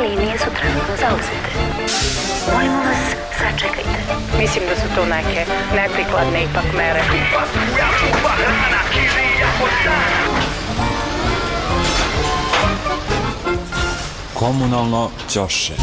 linije su trenutno zauzete. Molimo vas, sačekajte. Mislim da su to neke neprikladne ipak mere. Komunalno ćoše.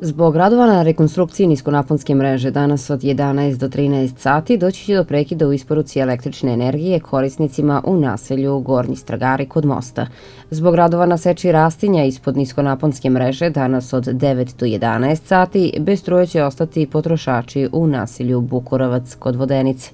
Zbog radova na rekonstrukciji niskonaponske mreže danas od 11 do 13 sati doći će do prekida u isporuci električne energije korisnicima u naselju Gornji Stragari kod mosta. Zbog radova na seči rastinja ispod niskonaponske mreže danas od 9 do 11 sati bez struje će ostati potrošači u naselju Bukurovac kod Vodenice.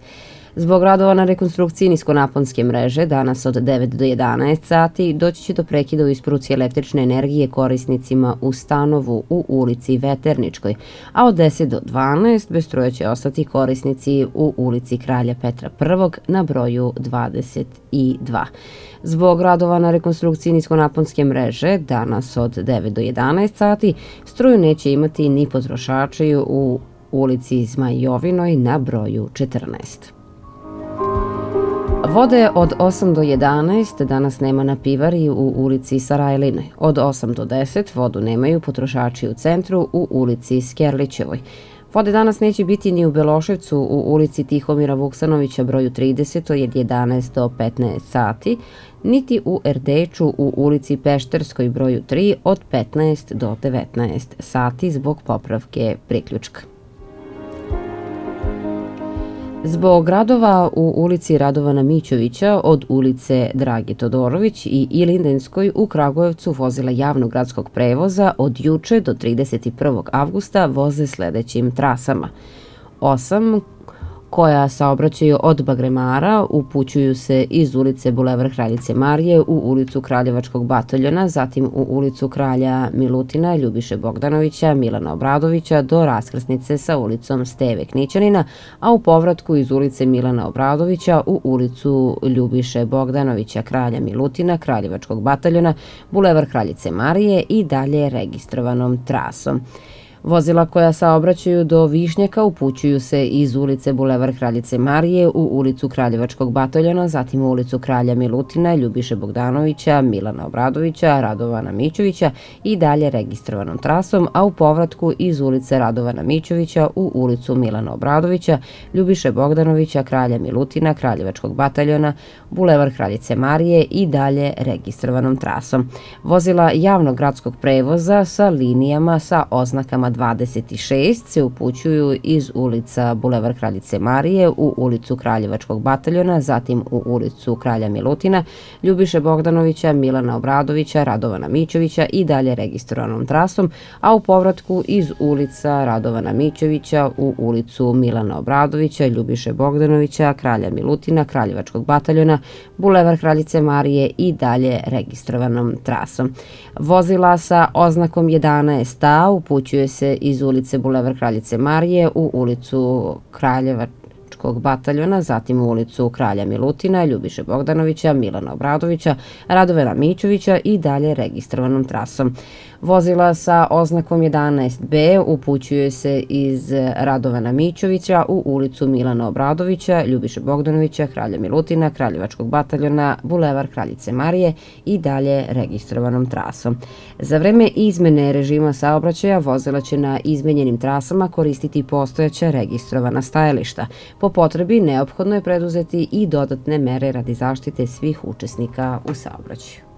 Zbog radova na rekonstrukciji niskonaponske mreže danas od 9 do 11 sati doći će do prekida u isporuci električne energije korisnicima u Stanovu u ulici Veterničkoj, a od 10 do 12 bez struje će ostati korisnici u ulici Kralja Petra I na broju 22. Zbog radova na rekonstrukciji niskonaponske mreže danas od 9 do 11 sati struju neće imati ni potrošači u ulici Zmajovinoj na broju 14. Vode od 8 do 11 danas nema na pivari u ulici Sarajline. Od 8 do 10 vodu nemaju potrošači u centru u ulici Skerlićevoj. Vode danas neće biti ni u Beloševcu u ulici Tihomira Vuksanovića broju 30 od 11 do 15 sati, niti u Erdeču u ulici Pešterskoj broju 3 od 15 do 19 sati zbog popravke priključka. Zbog radova u ulici Radovana Mićovića od ulice Dragi Todorović i Ilindenskoj u Kragujevcu vozila javnog gradskog prevoza od juče do 31. avgusta voze sledećim trasama. 8 koja saobraćaju od Bagremara upućuju se iz ulice Bulevar Kraljice Marije u ulicu Kraljevačkog bataljona, zatim u ulicu Kralja Milutina, Ljubiše Bogdanovića, Milana Obradovića do raskrsnice sa ulicom Steve Knićanina, a u povratku iz ulice Milana Obradovića u ulicu Ljubiše Bogdanovića, Kralja Milutina, Kraljevačkog bataljona, Bulevar Kraljice Marije i dalje registrovanom trasom. Vozila koja saobraćaju do Višnjaka upućuju se iz ulice Bulevar Kraljice Marije u ulicu Kraljevačkog bataljona, zatim u ulicu Kralja Milutina, Ljubiše Bogdanovića, Milana Obradovića, Radovana Mićovića i dalje registrovanom trasom, a u povratku iz ulice Radovana Mićovića u ulicu Milana Obradovića, Ljubiše Bogdanovića, Kralja Milutina, Kraljevačkog bataljona, Bulevar Kraljice Marije i dalje registrovanom trasom. Vozila javnog gradskog prevoza sa linijama sa oznakama 26 se upućuju iz ulica Bulevar Kraljice Marije u ulicu Kraljevačkog bataljona, zatim u ulicu Kralja Milutina, Ljubiše Bogdanovića, Milana Obradovića, Radovana Mićovića i dalje registrovanom trasom, a u povratku iz ulica Radovana Mićovića u ulicu Milana Obradovića, Ljubiše Bogdanovića, Kralja Milutina, Kraljevačkog bataljona, Bulevar Kraljice Marije i dalje registrovanom trasom. Vozila sa oznakom 11A upućuje se iz ulice Bulevar Kraljice Marije u ulicu Kraljevačkog bataljona, zatim u ulicu Kralja Milutina, Ljubiše Bogdanovića, Milana Obradovića, Radovana Mićovića i dalje registrovanom trasom. Vozila sa oznakom 11B upućuje se iz Radovana Mićovića u ulicu Milana Obradovića, Ljubiše Bogdanovića, Kralja Milutina, Kraljevačkog bataljona, Bulevar Kraljice Marije i dalje registrovanom trasom. Za vreme izmene režima saobraćaja vozila će na izmenjenim trasama koristiti postojeća registrovana stajališta. Po potrebi neophodno je preduzeti i dodatne mere radi zaštite svih učesnika u saobraćaju.